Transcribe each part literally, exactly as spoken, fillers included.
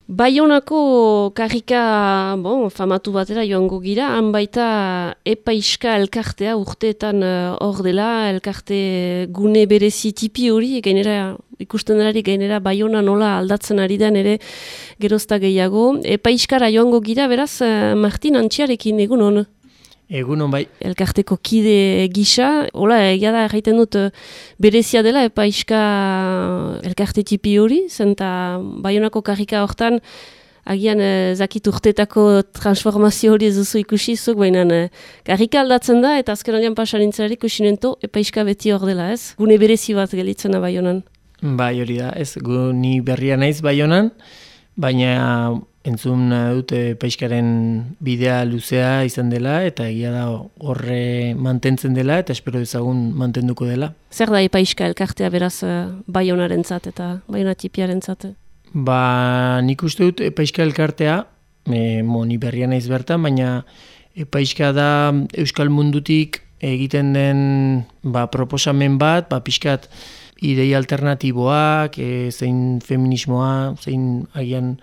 Baionako karrika bon, famatu batera joango gira, han baita epaiska elkartea urteetan hor uh, dela, elkarte gune berezi tipi hori, gainera ikusten denari gainera Baiona nola aldatzen ari den ere gerozta gehiago. Epaiskara joango gira, beraz, uh, Martin Antxiarekin egun hon? Egun hon bai. Elkarteko kide gisa, hola, egia da erraiten dut berezia dela epaiska elkarte tipi hori, zenta Baionako karrika hortan, agian eh, zakit urtetako transformazio hori ez duzu ikusi zuk, baina eh, karrika aldatzen da, eta azken aldean pasarintzari kusinento epaiska beti hor dela, ez? Gune berezi bat gelitzen da Baionan. Bai, hori da, ez, gu ni berria naiz Baionan, baina entzun dute epaiskaren bidea luzea izan dela, eta egia da horre mantentzen dela, eta espero ezagun mantenduko dela. Zer da epaiska elkartea beraz Baionarentzat eta Baiona tipiarentzat? Ba, nik uste dut epaiska elkartea, e, mo, ni berria naiz bertan, baina epaiska da euskal mundutik egiten den ba, proposamen bat, ba, pixkat idei alternatiboak, e, zein feminismoa, zein agian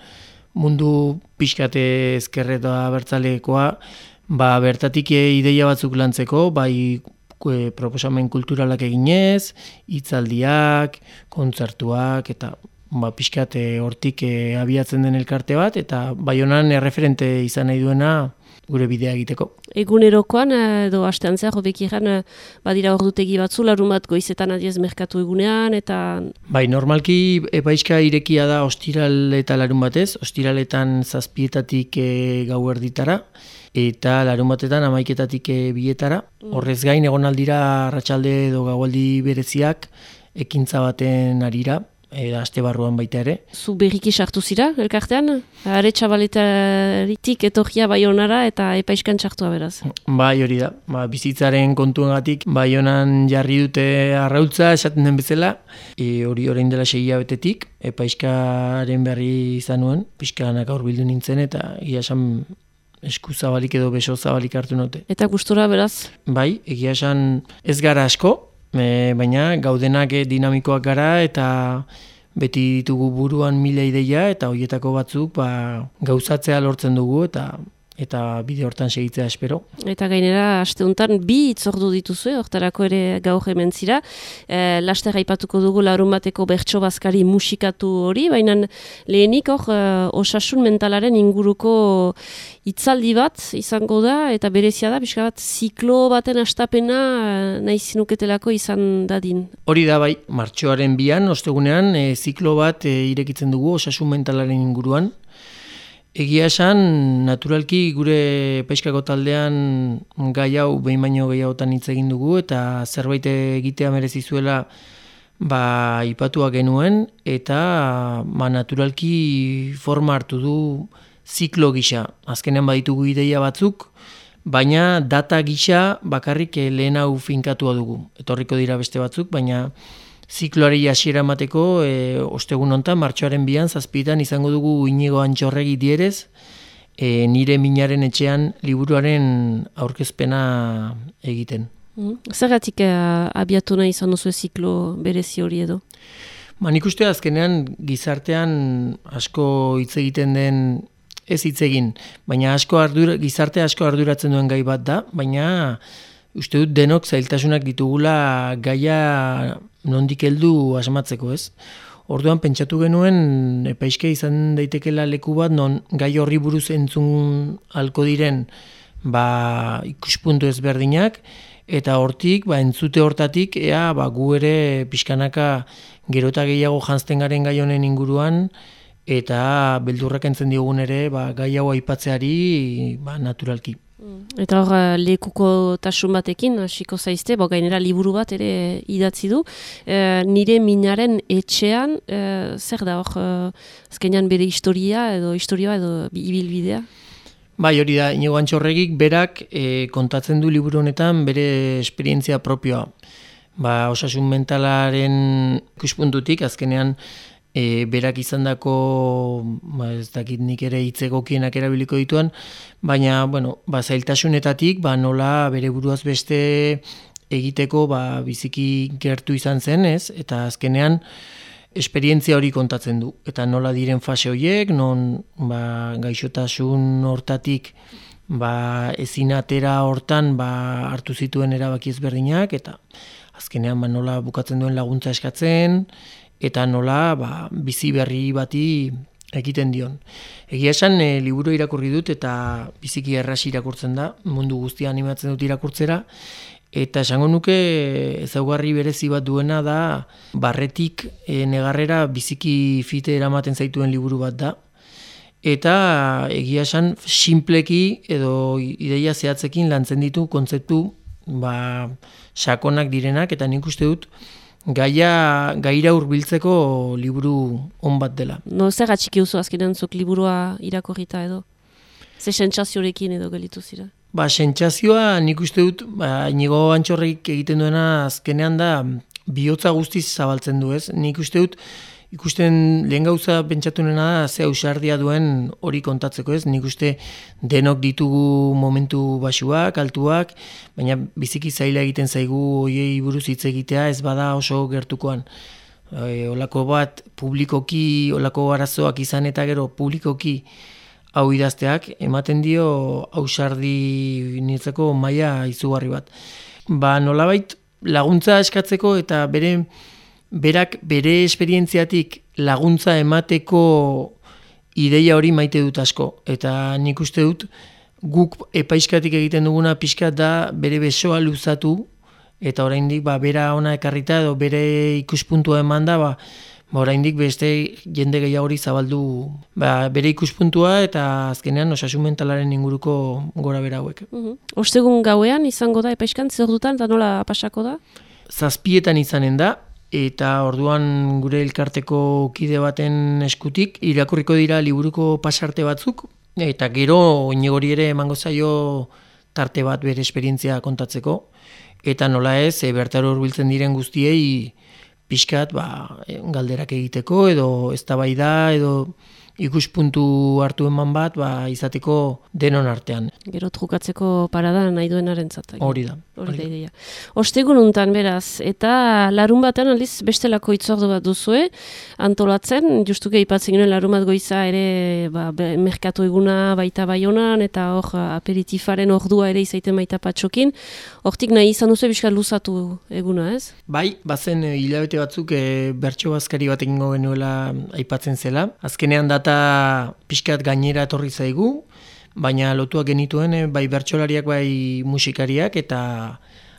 mundu pixkate ezkerreta bertzalekoa, ba, bertatik ideia batzuk lantzeko, bai e, proposamen kulturalak eginez, hitzaldiak, kontzertuak, eta ba, pixkate hortik e, abiatzen den elkarte bat, eta Baionan erreferente izan nahi duena gure bidea egiteko. Egunerokoan, edo astean zehar, hobekiran, badira ordutegi batzu, larun bat goizetan adiez merkatu egunean, eta... Bai, normalki epaiska irekia da ostiral eta larun batez, ostiraletan zazpietatik e, gau erditara, eta larun batetan amaiketatik e, bietara. Horrez gain, egon aldira arratsalde edo gaualdi bereziak, ekintza baten arira, e, aste barruan baita ere. Zu berriki sartu zira, elkartean? Are txabaletaritik etorria Baionara eta epaiskan sartua beraz. Bai, hori da. Ba, bizitzaren kontuengatik Baionan jarri dute arrautza esaten den bezala. E, hori orain dela sei hilabetetik, epaiskaren berri izan nuen, pixkanak aurbildu nintzen eta ia esan esku zabalik edo beso zabalik hartu note. Eta gustora beraz? Bai, egia esan ez gara asko, e, baina gaudenak dinamikoak gara eta beti ditugu buruan mila ideia eta horietako batzuk ba, gauzatzea lortzen dugu eta eta bide hortan segitzea espero. Eta gainera, aste honetan, bi itzordu dituzue, hortarako ere gaur hemen zira. E, laster aipatuko dugu larun bateko bertso bazkari musikatu hori, baina lehenik hor, e, osasun mentalaren inguruko hitzaldi bat izango da, eta berezia da, pixka bat, ziklo baten astapena nahi zinuketelako izan dadin. Hori da bai, martxoaren bian, ostegunean, e, ziklo bat e, irekitzen dugu osasun mentalaren inguruan. Egia esan, naturalki gure paiskako taldean gai hau behin baino gehiagotan hitz egin dugu eta zerbait egitea merezi zuela ba, ipatua genuen eta ba, naturalki forma hartu du ziklo gisa. Azkenean baditugu ideia batzuk, baina data gisa bakarrik lehen hau finkatua dugu. Etorriko dira beste batzuk, baina zikloari hasiera emateko, e, ostegun hontan, martxoaren bian, zazpitan izango dugu Inigo Antxorregi dierez, e, nire minaren etxean liburuaren aurkezpena egiten. Mm. Zergatik uh, abiatu nahi izan duzu ziklo berezi hori edo? Ba, nik uste azkenean gizartean asko hitz egiten den, ez hitz egin, baina asko ardura, gizarte asko arduratzen duen gai bat da, baina uste dut denok zailtasunak ditugula gaia nondik heldu asmatzeko, ez? Orduan pentsatu genuen epaiske izan daitekela leku bat non gai horri buruz entzun halko diren ba, ikuspuntu ezberdinak eta hortik ba, entzute hortatik ea ba, gu ere pixkanaka gerota gehiago janzten garen gai honen inguruan eta beldurrak entzen diogun ere ba, gai hau aipatzeari ba, naturalki. Eta hor, lekuko tasun batekin, hasiko zaizte, bo gainera liburu bat ere idatzi du. E, nire minaren etxean, e, zer da hor, e, azkenean bere historia edo historia edo ibilbidea? Bai, hori da, Inigo Antxorregik berak e, kontatzen du liburu honetan bere esperientzia propioa. Ba, osasun mentalaren ikuspuntutik, azkenean E, berak izandako, ba, ez dakit nik ere hitzegokienak erabiliko dituan, baina, bueno, ba, zailtasunetatik, ba, nola bere buruaz beste egiteko, ba, biziki gertu izan zen, ez? Eta azkenean, esperientzia hori kontatzen du. Eta nola diren fase horiek, non ba, gaixotasun hortatik ba, ezin atera hortan ba, hartu zituen erabaki ezberdinak, eta azkenean ba, nola bukatzen duen laguntza eskatzen, eta nola ba, bizi berri bati egiten dion. Egia esan, e, liburu irakurri dut eta biziki erraz irakurtzen da, mundu guztia animatzen dut irakurtzera, eta esango nuke ezaugarri berezi bat duena da, barretik e, negarrera biziki fite eramaten zaituen liburu bat da, eta egia esan sinpleki edo ideia zehatzekin lantzen ditu kontzeptu ba, sakonak direnak, eta nik uste dut gaia gaira hurbiltzeko liburu on bat dela. No, zer atxiki uzu azkenean zuk liburua irakorrita edo? Ze sentsaziorekin edo gelitu zira? Ba, sentsazioa nik uste dut, ba, Inigo Antxorrik egiten duena azkenean da bihotza guztiz zabaltzen du, ez? Nik uste dut, ikusten lehen gauza pentsatu nena da ze ausardia duen hori kontatzeko, ez? Nik uste denok ditugu momentu basuak, altuak, baina biziki zaila egiten zaigu hoiei buruz hitz egitea, ez bada oso gertukoan. E, olako bat publikoki, olako arazoak izan eta gero publikoki hau idazteak, ematen dio ausardi nintzeko maila izugarri bat. Ba, nolabait laguntza eskatzeko eta bere berak bere esperientziatik laguntza emateko ideia hori maite dut asko. Eta nik uste dut guk epaiskatik egiten duguna pixkat da bere besoa luzatu eta oraindik ba, bera ona ekarrita edo bere ikuspuntua eman da, ba, ba, oraindik beste jende gehiagori zabaldu ba, bere ikuspuntua eta azkenean osasun mentalaren inguruko gora bera hauek. Uh-huh. Ostegun gauean izango da epaiskan zer dutan eta nola pasako da? Zazpietan izanen da, eta orduan gure elkarteko kide baten eskutik irakurriko dira liburuko pasarte batzuk, eta gero Inigori ere emango zaio tarte bat bere esperientzia kontatzeko, eta nola ez, e, bertaro hurbiltzen diren guztiei pixkat ba, galderak egiteko, edo eztabaida edo ikuspuntu hartu eman bat ba, izateko denon artean. Gero trukatzeko parada nahi duenarentzat. Hori da. Hori da ideia. Ostegun untan beraz, eta larun batean aldiz bestelako itzordu bat duzue, antolatzen, justuke ipatzen ginen larun bat goiza ere ba, merkatu eguna baita Baionan, eta hor aperitifaren ordua ere izaiten baita Patxokin. Hortik nahi izan duzu bizkat luzatu eguna, ez? Bai, bazen hilabete batzuk e, bertso bazkari bat egingo genuela aipatzen zela. Azkenean data pixkat gainera etorri zaigu, baina lotuak genituen e, bai bertsolariak bai musikariak eta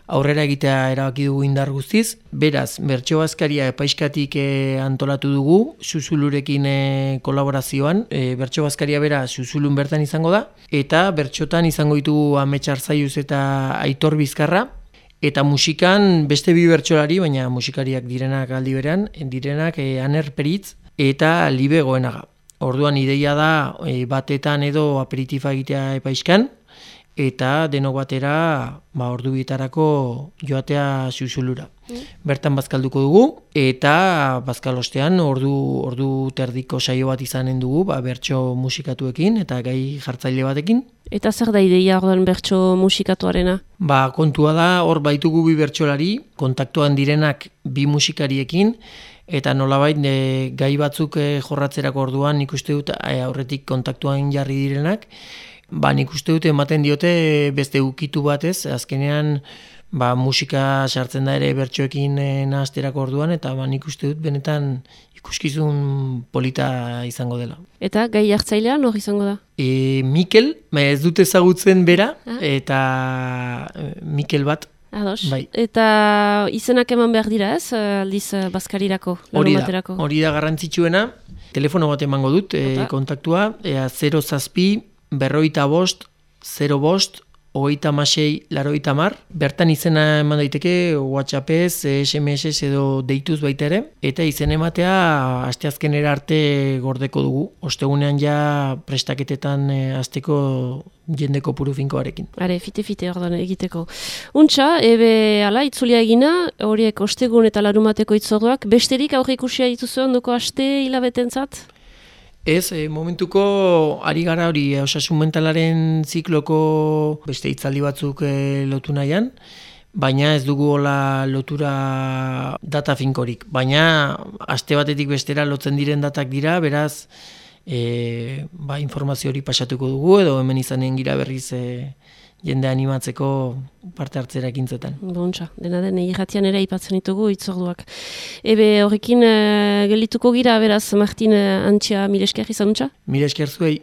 aurrera egitea erabaki dugu indar guztiz. Beraz, bertso bazkaria epaiskatik e, antolatu dugu, Zuzulurekin e, kolaborazioan, e, bertso bazkaria bera Zuzulun bertan izango da, eta bertxotan izango ditugu Amets Arzaiuz eta Aitor Bizkarra, eta musikan beste bi bertsolari, baina musikariak direnak aldi berean, direnak e, Aner Peritz eta Libe Goenaga. Orduan ideia da e, batetan edo aperitifa egitea epaiskan, eta denok batera ba, ordu bietarako joatea Zuzulura. Mm. Bertan bazkalduko dugu, eta bazkal ostean ordu, ordu terdiko saio bat izanen dugu, ba, bertso musikatuekin eta gai jartzaile batekin. Eta zer da ideia orduan bertso musikatuarena? Ba, kontua da, hor baitugu bi bertsolari, kontaktuan direnak bi musikariekin, eta nolabait e, gai batzuk e, jorratzerako orduan nik uste dut e, aurretik kontaktuan jarri direnak, ba nik uste dut ematen diote beste ukitu batez, azkenean ba, musika sartzen da ere bertsoekin e, nahasterako orduan, eta ba, nik uste dut benetan ikuskizun polita izango dela. Eta gai hartzailean hor izango da? E, Mikel, ba, ez dut ezagutzen bera, ah. eta e, Mikel bat. Ados. Bai. Eta izenak eman behar dira ez, aldiz bazkarirako, larun baterako? Hori da garrantzitsuena, telefono bat emango dut, e, kontaktua, ea zero zazpi, berroita bost, zero bost, hogeita masei, laroita mar. Bertan izena eman daiteke, WhatsAppez, S M S edo deituz baita ere, eta izen ematea asteazkenera arte gordeko dugu. Ostegunean ja prestaketetan e, azteko jende kopuru finkoarekin. Are, fite-fite ordan egiteko. Untxa, ebe ala, itzulia egina, horiek ostegun eta larumateko itzorduak, besterik aurre ikusia dituzu ondoko aste hilabetentzat? Ez, e, momentuko ari gara hori osasun mentalaren zikloko beste hitzaldi batzuk e, lotu nahian, baina ez dugu hola lotura data finkorik. Baina aste batetik bestera lotzen diren datak dira, beraz e, ba, informazio hori pasatuko dugu, edo hemen izanen gira berriz e, jende animatzeko parte hartzera ekintzetan. Bontxa, dena den irratian ere aipatzen ditugu hitzorduak. Ebe horrekin uh, gelituko gira, beraz, Martin uh, Antxia, mile esker izan untxa? Mile esker zuei.